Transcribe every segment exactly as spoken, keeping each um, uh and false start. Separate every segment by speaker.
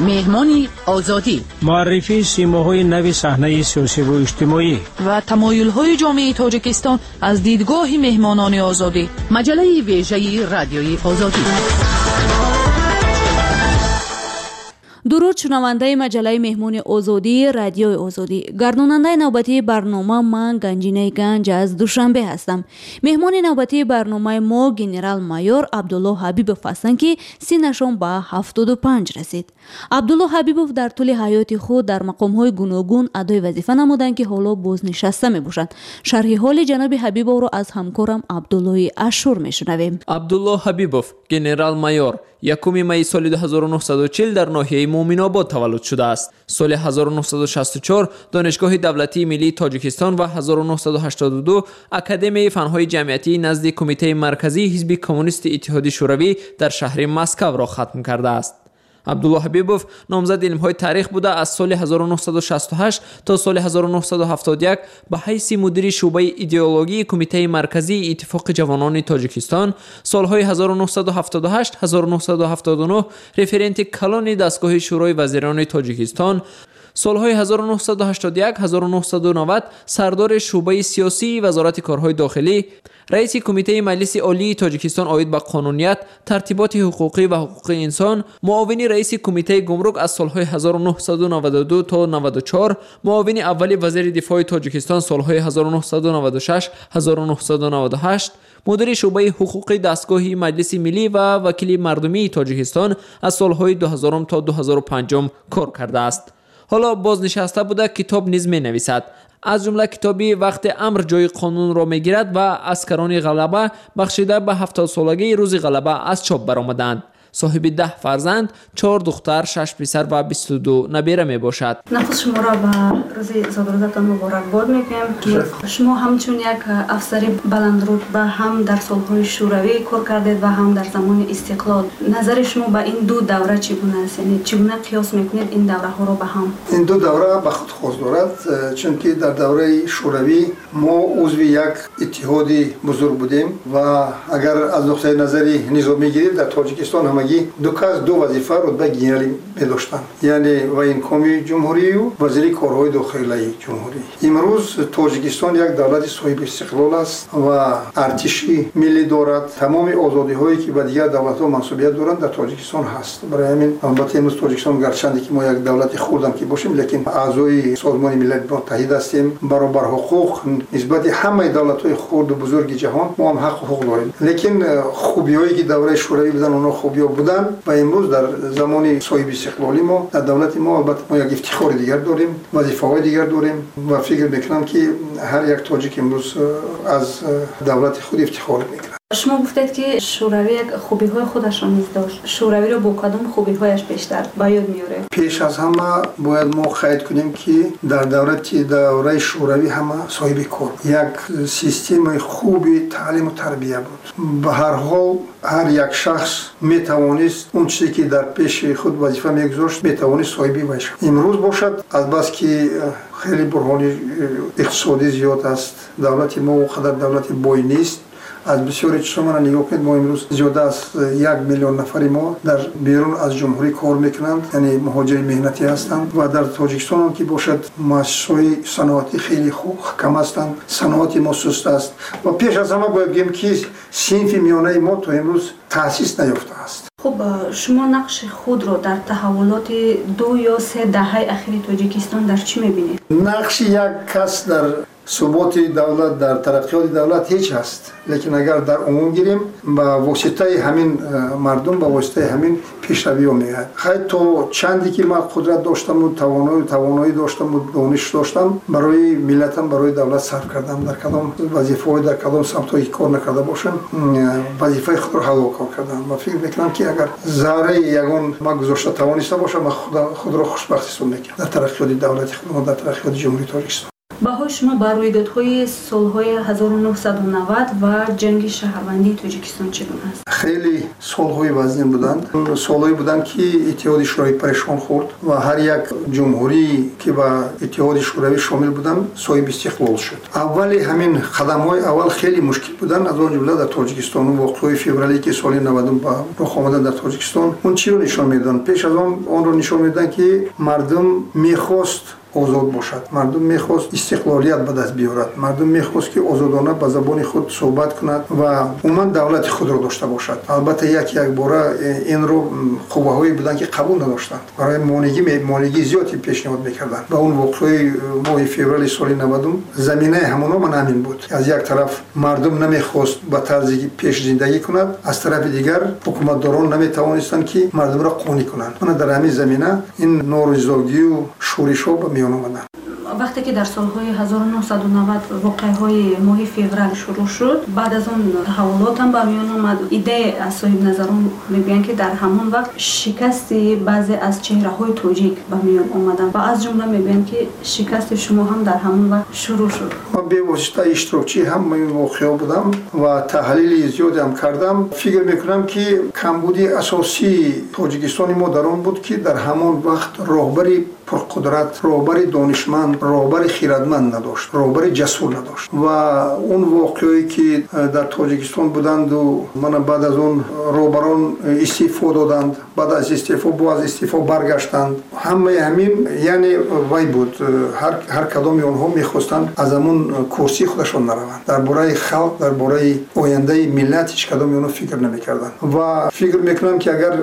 Speaker 1: Меҳмони Озодӣ.
Speaker 2: Муаррифии симоҳои нави саҳнаи сиёсиву иҷтимоӣ
Speaker 3: ва тамоюлҳои ҷомеаи Тоҷикистон аз дидгоҳи меҳмонони Озодӣ.
Speaker 1: Маҷаллаи вежаи Радиои Озодӣ.
Speaker 4: Дуруд шунавандаи маҷаллаи Меҳмони Озодии Радиои Озодӣ. Гардонандаи навбатии барнома ман Ганҷинаи Ганҷ аз Душанбе ҳастам. Меҳмони навбатии барномаи мо генерал-майор Абдулло Ҳабибов ҳастанд, ки синнашон ба ҳафтоду панҷ расид. Абдулло Ҳабибов дар тӯли ҳаёти худ дар мақомҳои гуногун адои вазифа намуданд, ки ҳоло бознишаста мебошанд. Шарҳи ҳоли ҷаноби Ҳабибовро аз ҳамкорам Абдуллои Ашур мешунавем.
Speaker 5: Абдулло Ҳабибов, генерал-майор, якуми майи соли ду ҳазору нӯҳсаду чил дар ноҳияи Муъминобод таваллуд шудааст. Соли ҳазору нӯҳсаду шасту чор Донишгоҳи давлатии миллии Тоҷикистон ва ҳазору нӯҳсаду ҳаштоду ду Академияи фанҳои ҷамъиятии назди Кумитаи марказии Ҳизби Коммунисти Иттиҳоди Шӯравӣ дар шаҳри Москавро хатм кардааст. Абдулло Ҳабибов номзади илмҳои таърих буда, аз соли ҳазору нӯҳсаду шасту ҳашт то соли ҳазору нӯҳсаду ҳафтоду як ба ҳайси мудири шӯъбаи идеологии Кумитаи марказии Иттифоқи ҷавонони Тоҷикистон, солҳои ҳазору нӯҳсаду ҳафтоду ҳашт ҳазору нӯҳсаду ҳафтоду нӯҳ референти калони дастгоҳи Шӯрои вазирони Тоҷикистон, солҳои ҳазору нӯҳсаду ҳаштоду як ҳазору нӯҳсаду навад сардори шӯъбаи сиёсии Вазорати корҳои дохилӣ, раиси Кумитаи Маҷлиси Олии Тоҷикистон оид ба қонуният, тартиботи ҳуқуқӣ ва ҳуқуқи инсон, муовини раиси Кумитаи гумрук аз солҳои ҳазору нӯҳсаду наваду ду то наваду чор, муовини аввали вазири дифои Тоҷикистон солҳои ҳазору нӯҳсаду наваду шаш ҳазору нӯҳсаду наваду ҳашт, мудири шӯъбаи ҳуқуқи дастгоҳи Маҷлиси Миллӣ ва вакили мардумии Тоҷикистон аз солҳои дуҳазорум то дуҳазору панҷум кор кардааст. Ҳоло бознишаста буда, китоб низ менависад. Аз ҷумла китоби «Вақте амр ҷои қонунро мегирад» ва «Аскарони ғалаба» бахшида ба ҳафтодсолагии рӯзи ғалаба аз чоп баромаданд. Соҳиби даҳ фарзанд, чор духтар, шаш писар ва бисту ду набера мебошад.
Speaker 6: Нахуст шуморо ба рӯзи зодрӯзатон муборакбод мекунем. Шумо ҳамчун як афсари баландрутба ҳам дар солҳои шӯравӣ кор кардед ва ҳам дар замони истиқлол. Назари шумо ба ин ду давра чӣ гуна аст? Яъне чӣ гуна қиёс мекунед ин давраҳоро ба ҳам?
Speaker 7: Ин ду давра ба худ хос дорад, чунки дар давраи шӯравӣ мо узви як иттиҳоди бузург будем ва агар аз нуқтаи назари низомӣ гирем, дар Тоҷикистон ҳамагӣ ду кас ду вазифа рутбаи генералӣ медоштанд, яъне военкоми ҷумҳурию вазири корҳои дохилаи ҷумҳурӣ. Имрӯз Тоҷикистон як давлати соҳиби истиқлол аст ва артиши миллӣ дорад. Тамоми озодиҳое ки ба дигар давлатҳо мансубият доранд, дар Тоҷикистон ҳаст. Барои ҳамин албатта имрӯз Тоҷикистон, гарчанде ки мо як давлати хурдам ки бошем, лекин аъзои Созмони Милали Муттаҳид ҳастем, баробарҳуқуқ нисбати ҳамаи давлатҳои хурду бузурги ҷаҳон мо ҳам ҳаққу ҳуқуқ дорем. Лекин хубиҳое ки давраи шӯравӣ буданд, онҳо хубиҳо буданд ва имрӯз дар замони соҳиби истиқлолӣ мо дар давлати мо албатта мо як ифтихори дигар дорем, вазифаҳои дигар дорем ва фикр мекунам ки ҳар як тоҷик имрӯз аз давлати худ ифтихор мекунад.
Speaker 6: Шумо гуфтед, ки шӯравӣ як хубиҳои худашро низ дошт. Шӯравиро бо кадом хубиҳояш бештар ба ёд меоред?
Speaker 7: Пеш аз ҳама бояд мо қайд кунем, ки дар давлати давраи шӯравӣ ҳама соҳиби кор, як системаи хуби таълиму тарбия буд. Ба ҳар ҳол ҳар як шахс метавонист он чизе ки дар пеши худ вазифа мегузошт, метавонист соҳиби вай шавад. Имрӯз бошад, азбаски хеле бурҳони иқтисодӣ зиёд аст, давлати мо он қадар давлати бой нест. Аз бисёри чизҳо мана нигоҳ кунед, мо имрӯз зиёда аз як миллион нафари мо дар берун аз ҷумҳурӣ кор мекунанд, яъне муҳоҷири меҳнатӣ ҳастанд ва дар Тоҷикистон ҳам ки бошад, муассисаҳои саноатӣ хеле хуб кам ҳастанд, саноати мо суст аст ва пеш аз ҳама бояд гӯем, ки синфи миёнаи мо то имрӯз таъсис наёфтааст.
Speaker 6: Хуб, шумо нақши худро дар таҳаввулоти ду ё се даҳаи ахири Тоҷикистон дар чӣ мебинед?
Speaker 7: Нақши як кас дар суботи давлат, дар тараққиёти давлат ҳеҷ ҳаст, лекин агар дар умум гирем, ба воситаи ҳамин мардум, ба воситаи ҳамин пешравиҳо меояд. Хай, то чанде ки ман қудрат доштаму тавоноӣ тавоноӣ доштаму дониш доштам, барои миллатам, барои давлат сарф кардам. Дар кадом вазифаҳо, дар кадом самтҳое ки кор накарда бошам, вазифаи худро ҳалол кор кардам ва фикр мекунам, ки агар зарраи ягон ман гузошта тавониста бошам, ман худро хушбахт ҳисоб мекунам дар тараққиёти давлати худмо, дар тараққиёти Ҷумҳурии Тоҷикистон.
Speaker 6: Баҳои шумо ба рӯйдодҳои солҳои ҳазору нӯҳсаду навад ва ҷанги шаҳрвандии Тоҷикистон чӣ гуна аст?
Speaker 7: Хеле солҳои вазнин буданд. Солҳое буданд, ки Иттиҳоди Шӯравӣ парешон хӯрд ва ҳар як ҷумҳурӣ, ки ба Иттиҳоди Шӯравӣ шомил буданд, соҳиби истиқлол шуд. Аввали ҳамин қадамҳои аввал хеле мушкил буданд, аз он ҷумла дар Тоҷикистон. Воқеаҳои феврале, ки соли навадум ба рух омаданд дар Тоҷикистон, он чиро нишон медоданд? Пеш аз он онро нишон медоданд, ки мардум мехост озод бошад, мардум мехост истиқлолият ба даст биёрад, мардум мехост, ки озодона ба забони худ суҳбат кунад ва умуман давлати худро дошта бошад. Албатта, як якбора инро қувваҳое буданд, ки қабул надоштанд, барои монигӣ зиёде пешниҳод мекарданд. Ва он воқеаи моҳи феврали соли навадум заминаи ҳамоно ман ҳамин буд. Аз як тараф мардум намехост ба тарзи пеш зиндагӣ кунад, аз тарафи дигар ҳукуматдорон наметавонистанд, ки мардумро қонеъ кунанд. Мана дар ҳамин замина ин норизогию шӯришҳо ба миён омаданд.
Speaker 6: Вақте ки дар солҳои ҳазору нӯҳсаду навад воқеаҳои моҳи феврал шурӯъ шуд, баъд аз он таҳаввулот ҳам ба миён омад. Идея аз соҳибназарон мегӯянд, ки дар ҳамон вақт шикасти баъзе аз чеҳраҳои тоҷик ба миён омаданд ва аз ҷумла мегӯянд, ки шикасти шумо ҳам дар ҳамон вақт шурӯъ шуд.
Speaker 7: Ман бевосита иштирокчии ҳамаи ин воқеаҳо будам ва таҳлили зиёде ҳам кардам. Фикр мекунам, ки камбуди асосии Тоҷикистони мо дар он буд, ки дар ҳамон вақт роҳбари пурқудрат, роҳбари донишманд, роҳбари хирадманд надошт, роҳбари ҷасур надошт. Ва он воқеое, ки дар Тоҷикистон буданду мана баъд аз он роҳбарон истеъфо доданд, баъд аз истеъфо боз аз истеъфо баргаштанд, ҳамаи ҳамин яъне вай буд. Ҳар кадоми онҳо мехостанд аз ҳамон курсии худашон нараванд. Дар бораи халқ, дар бораи ояндаи миллат ҳеҷ кадоми онҳо фикр намекарданд. Ва фикр мекунам, ки агар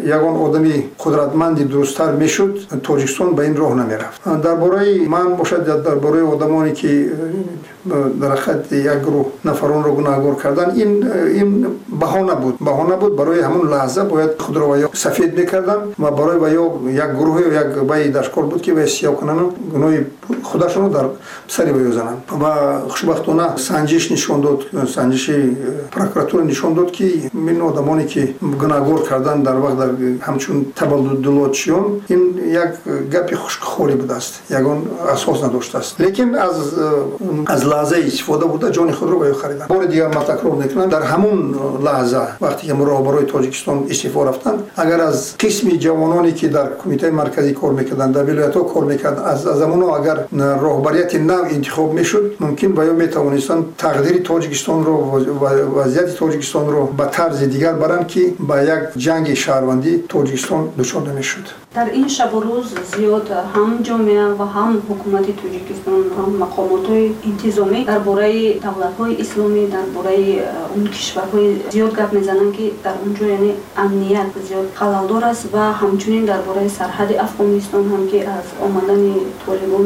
Speaker 7: ягон одами қудратманди дурусттар мешуд, Тоҷикистон ба ин роҳ намерафт. Дар бораи ман бошад, дар бораи одамоне, ки дар ҳақиқат як гурӯҳ нафаронро гунаҳгор кардан, ин ин баҳона буд. Баҳона буд барои ҳамон лаҳза бояд худро ва ё сафед мекарданд ва барои ва ё як гурӯҳе як баи дашкор буд, ки вай сиёҳ кунанд, гуноҳи худашонро дар сари вай зананд. Ва хушбахтона санҷиш нишон дод, санҷиши прокуратура нишон дод, ки ин одамоне, ки гунаҳгор кардан дар вақт дар ҳамчун табаддулотчиён, ин як гапи хушкхорӣ будааст, ягон асос надоштааст. Лекин аз аз лаҳзаи истифода буда ҷони худро ба ё хариданд. Бори дигар ман такрор мекунам, дар ҳамон лаҳза вақте ки роҳбарои Тоҷикистон истифо рафтанд, агар аз қисми ҷавононе, ки дар кумитаи марказӣ кор мекарданд, дар вилоятҳо кор мекарданд, аз замоно агар роҳбарияти нав интихоб мешуд, мумкин ба ё метавонистанд тақдири Тоҷикистонро ва вазъияти Тоҷикистонро ба тарзи дигар баранд, ки ба як ҷанги шаҳрвандӣ Тоҷикистон дучор намешуд.
Speaker 6: Дар ин шабу рӯз зиёд ҳам ҷомеа ва ҳам ҳукумати Тоҷикистон, ҳам мақомотҳои интизомӣ дар бораи давлатҳои исломӣ, дар бораи он кишварҳои зиёд гап мезананд, ки дар он ҷо яъне амният зиёд халалдор аст ва ҳамчунин дар бораи сарҳади Афғонистон ҳам, ки аз омадани толибон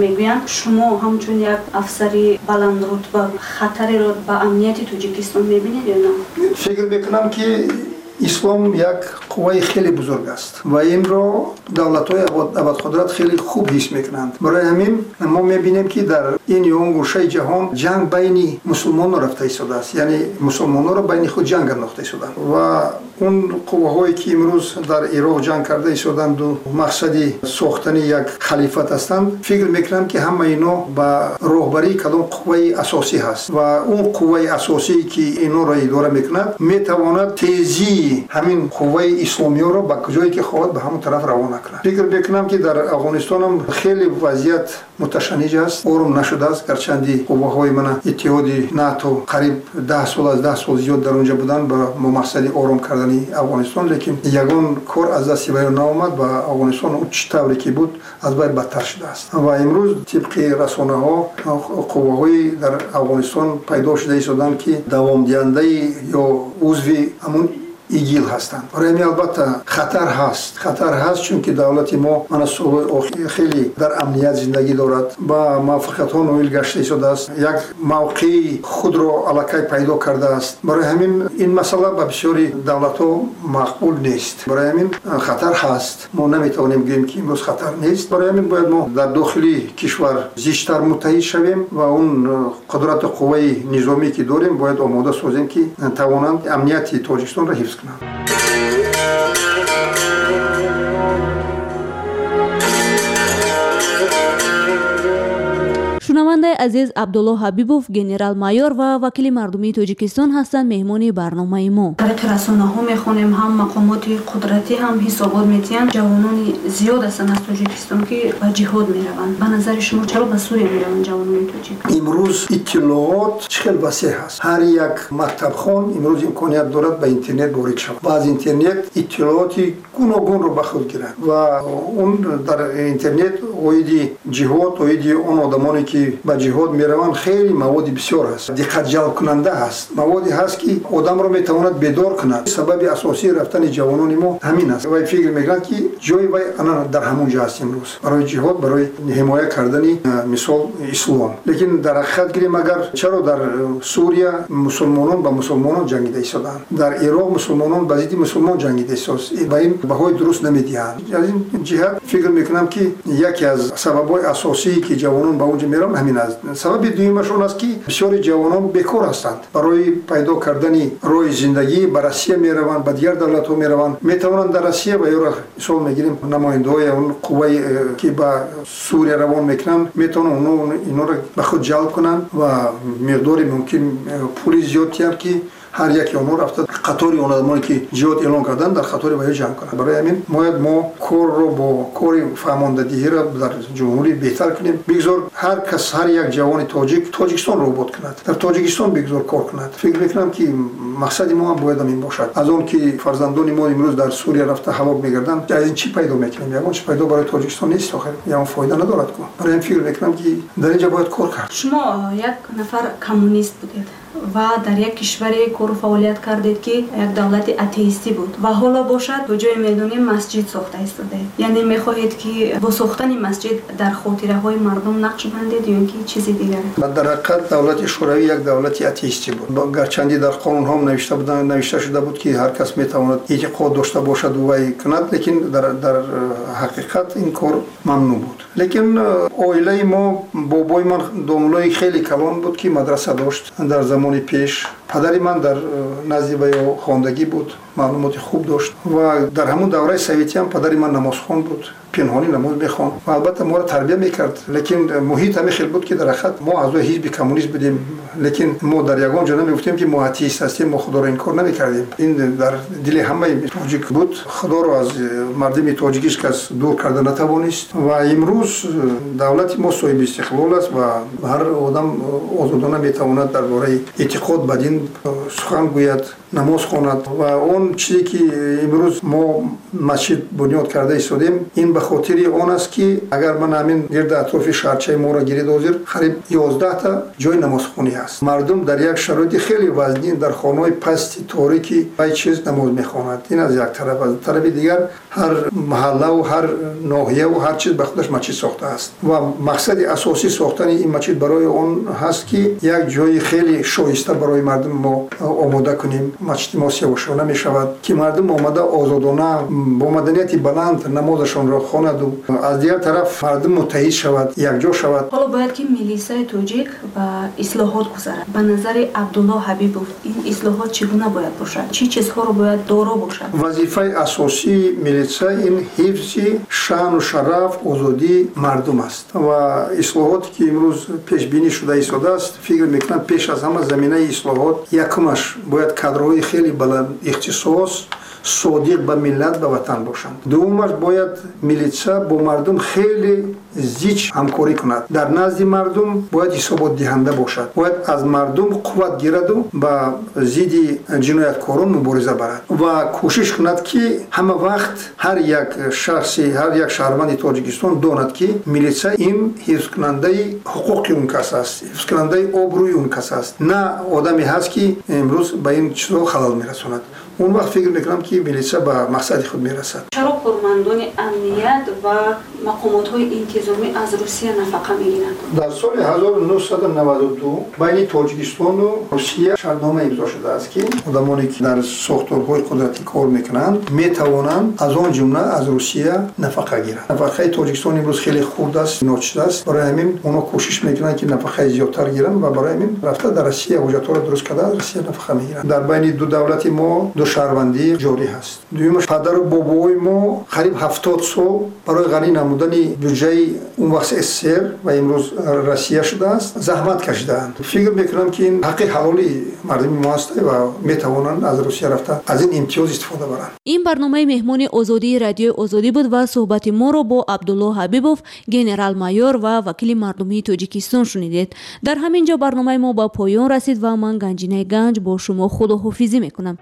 Speaker 6: мегӯянд. Шумо ҳамчун як афсари баландрутба хатареро ба амнияти Тоҷикистон мебинед ё на?
Speaker 7: Фикр мекунам, ки ислом як қувваи хеле бузург аст ва инро давлатҳои абадқудрат хеле хуб ҳис мекунанд. Барои ҳамин мо мебинем, ки дар ин ё он гӯшаи ҷаҳон ҷанг байни мусулмонон рафта истодааст, яъне мусулмононро байни худ ҷанг андохта истоданд. Ва он қувваҳое, ки имрӯз дар Ироқ ҷанг карда истоданду мақсади сохтани як халифат ҳастанд, фикр мекунам, ки ҳамаи ино ба роҳбарии кадом қувваи асосӣ ҳаст ва он қувваи асосие, ки инҳоро идора мекунад, метавонад тезии ҳамин қувваи исломиёро ба ҷое ки хоҳад ба ҳамон тараф равона кунад. Фикр мекунам, ки дар Афғонистонам хеле вазъият муташанниҷ аст, ором нашудааст. Гарчанди қувваҳои мана иттиҳоди НАТО қариб даҳ сол аз даҳ сол зиёд дар онҷа буданд ба мақсади ором кардани Афғонистон, лекин ягон кор аз дасти вай наомад ва Афғонистон он чӣ тавре ки буд аз вай бадтар шудааст. Ва имрӯз тибқи расонаҳо қувваҳои дар Афғонистон пайдо шуда истоданд, ки давомдиҳандаи ё узви ҳамон ИГИЛ ҳастанд. Барои ҳамин албатта хатар ҳаст. Хатар ҳаст, чунки давлати мо мана солҳои охир хеле дар амният зиндагӣ дорад, ба муваффақиятҳо ноил гашта истодааст, як мавқеи худро аллакай пайдо кардааст. Барои ҳамин ин масъала ба бисёри давлатҳо мақбул нест. Барои ҳамин хатар ҳаст. Мо наметавонем гӯем, ки имрӯз хатар нест. Барои ҳамин бояд мо дар дохили кишвар зичтар муттаҳид шавем ва он қудрату қувваи низомӣ, ки дорем, бояд омода созем, ки тавонанд амнияти Тоҷикистонро ҳифз кунанд.
Speaker 4: Шунавандаи азиз, Абдулло Ҳабибов, генерал-майор ва вакили мардумии Тоҷикистон ҳастанд меҳмони барномаи мо.
Speaker 6: Тариқи расонаҳо мехонем, ҳам мақомоти қудратӣ ҳам ҳисобот медиҳанд. Ҷавонони зиёд ҳастанд аз Тоҷикистон, ки ба ҷиҳод мераванд. Ба назари шумо чаро ба Сурия мераванд ҷавонони тоҷик?
Speaker 7: Имрӯз иттилоот чӣ хел васеъ ҳаст. Ҳар як мактабхон имрӯз имконият дорад ба интернет ворид шавад ва аз интернет иттилооти гуногунро ба худ гирад ва он дар интернет оиди ҷиҳод, оиди он одамоне ки ба ҷиҳод мераванд, хеле маводи бисёр ҳаст, диққатҷалбкунанда ҳаст, маводе ҳаст ки одамро метавонад бедор кунад. Сабаби асосии рафтани ҷавонони мо ҳамин аст. Вай фикр мекунад, ки ҷои вай ана дар ҳамон ҷо аст имрӯз барои ҷиҳод, барои ҳимоя кардани мисол ислом. Лекин дар ҳақиқат гирем, агар чаро дар Сурия мусулмонон ба мусулмонон ҷангида истодаанд, дар Ироқ мусулмонон ба зидди мусулмон ҷангида истодаанд, ба ин баҳои дуруст намедиҳанд. Аз ин ҷиҳат фикр мекунам, ки яке аз сабабҳои асосие ки ҷавонон ба он ҷо мераванд ҳамин аст. Сабаби дуюмаш он аст, ки бисёри ҷавонон бекор ҳастанд. Барои пайдо кардани роҳи зиндагӣ ба Россия мераванд, ба дигар давлатҳо мераванд. Метавонанд дар Россия ва ёро мисол мегирем намояндаҳои он қуввае ки ба Сурия равон мекунанд, метавонанд инҳоро ба худ ҷалб кунанд ва миқдори мумкин пули зиёд диҳанд, ки ҳар яке онҳо рафта қатори он одамоне ки ҷиҳод эълон карданд дар қатори ваё ҷамъ кунанд. Барои ҳамин бояд мо корро бо кори фаҳмондадиҳиро дар ҷумҳурӣ беҳтар кунем. Бигзор ҳар кас, ҳар як ҷавони тоҷик Тоҷикистонро обод кунад, дар Тоҷикистон бигзор кор кунад. Фикр мекунам, ки мақсади мо ҳам бояд ҳамин бошад. Аз он ки фарзандони мо имрӯз дар Сурия рафта ҳалок мегарданд, аз ин чӣ пайдо мекунем? Ягон чӣ пайдо барои Тоҷикистон нест, охир ягон фоида надорад ку. Барои ҳамин фикр мекунам, ки дар ин ҷо бояд кор кард.
Speaker 6: Шумо як нафар коммунист будед ва дар як кишваре кору фаъолият кардед, ки як давлати атеистӣ буд ва ҳоло бошад то ҷое медонем масҷид сохта истодаед. Яъне мехоҳед, ки бо сохтани масҷид дар хотираҳои мардум нақш бандед ё ин ки чизи дигар?
Speaker 7: Дар ҳақиқат давлати Шӯравӣ як давлати атеистӣ буд. Гарчанде дар қонунҳо навишта буданд, навишта шуда буд, ки ҳар кас метавонад эътиқод дошта бошад вай кунад, лекин дар, дар ҳақиқат ин кор мамнӯъ буд. Лекин оилаи мо, бобои ман домулои хеле калон буд, ки мадраса дошт дар замони пеш. Падари ман дар назди ваё хондагӣ буд, маълумоти хуб дошт ва дар ҳамон давраи советӣ ҳам падари ман намозхон буд, пинҳонӣ намоз мехонд ва албатта моро тарбия мекард. Лекин муҳит ҳамин хел буд, ки дар ҳақиқат мо аъзои ҳизби коммунист будем, лекин мо дар ягон ҷо намегуфтем, ки мо атеист ҳастем, мо худоро инкор намекардем. Ин дар дили ҳамаи тоҷик буд. Худоро аз мардуми тоҷик ҳеҷ кас дур карда натавонист ва имрӯз давлати мо соҳиби истиқлол аст ва ҳар одам озодона метавонад дар бораи эътиқод ба дин сухан гӯяд, намоз хонад. Ва он чизе ки имрӯз мо масҷид бунёд карда истодем, ин ба хотири он аст, ки агар ман ҳамин гирди атрофи шаҳрчаи моро гирид, ҳозир қариб ёздаҳта ҷои намозхонӣ ҳаст. Мардум дар як шароити хеле вазнин дар хонаҳои пасти торики вай чиз намоз мехонад. Ин аз як тараф. Аз тарафи дигар ҳар маҳаллаву ҳар ноҳияву ҳар чиз ба худаш масҷид сохтааст ва мақсади асосии сохтани ин масҷид барои он ҳаст, ки як ҷои хеле шоиста барои мардум мо омода кунем. Масҷиди мо сиёҳшона мешавад, ки мардум омада озодона бо маданияти баланд намозашонро хонаду аз дигар тараф мардум муттаҳид шавад, якҷо шавад.
Speaker 6: Ҳоло бояд ки милисаи тоҷик ба ислоҳот гузарад. Ба назари Абдулло Ҳабибов ин ислоҳот чӣ гуна бояд бошад? Чӣ чизҳоро бояд доро бошад?
Speaker 7: Вазифаи асосии милиса ин ҳифзи шаъну шараф, озодии мардум аст ва ислоҳоте ки имрӯз пешбинӣ шуда истодааст, фикр мекунам пеш аз ҳама заминаи ислоҳот якумаш бояд кадрҳои хеле баланд ихтисос, содиқ ба миллат, ба ватан бошанд. Дуюмаш бояд милитса бо мардум хеле зич ҳамкорӣ кунад. Дар назди мардум бояд ҳисоботдиҳанда бошад, бояд аз мардум қувват гираду ба зидди ҷинояткорон мубориза барад ва кӯшиш кунад, ки ҳама вақт ҳар як шахси, ҳар як шаҳрванди Тоҷикистон донад, ки милитса ин ҳифзкунандаи ҳуқуқи он кас аст, ҳифзкунандаи обрӯи он кас аст, на одаме ҳаст, ки имрӯз ба ин чизҳо халал мерасонад. Он вақт фикр мекунам, ки милитса ба мақсади худ мерасад.
Speaker 6: Чаро кормандони амният ва мақомотҳои интизомӣ аз Русия нафақа мегиранд?
Speaker 7: Дар соли ҳазору нӯҳсаду наваду ду байни Тоҷикистону Русия шартнома имзо шудааст, ки одамоне ки дар сохторҳои қудратӣ кор мекунанд, метавонанд аз он ҷумла аз Русия нафақа гиранд. Нафақаи Тоҷикистон имрӯз хеле хурд аст, ночиз аст. Барои ҳамин онҳо кӯшиш мекунанд, ки нафақаи зиёдтар гиранд ва барои ҳамин рафта дар Россия ҳуҷҷатҳоро дуруст карда аз Россия нафақа мегиранд. Дар байни ду давлати мо ду шаҳрвандӣ ҷорӣ ҳаст. Дуюмаш, падару бобои мо қариб ҳафтод сол барои ғанӣ намудани бюджаи он вақт СССР ва имрӯз Россия шудааст, заҳмат кашидаанд. Фикр мекунам, ки ин ҳаққи ҳалоли мардуми мо аст ва метавонанд аз Русия рафта аз ин имтиёз истифода баранд.
Speaker 4: Ин барномаи меҳмони озодии Радиои Озодӣ буд ва суҳбати моро бо Абдулло Ҳабибов, генерал-майор ва вакили мардумии Тоҷикистон шунидед. Дар ҳамин ҷо барномаи мо ба поён расид ва ман, Ганҷинаи Ганҷ, бо шумо худоҳофизӣ мекунам.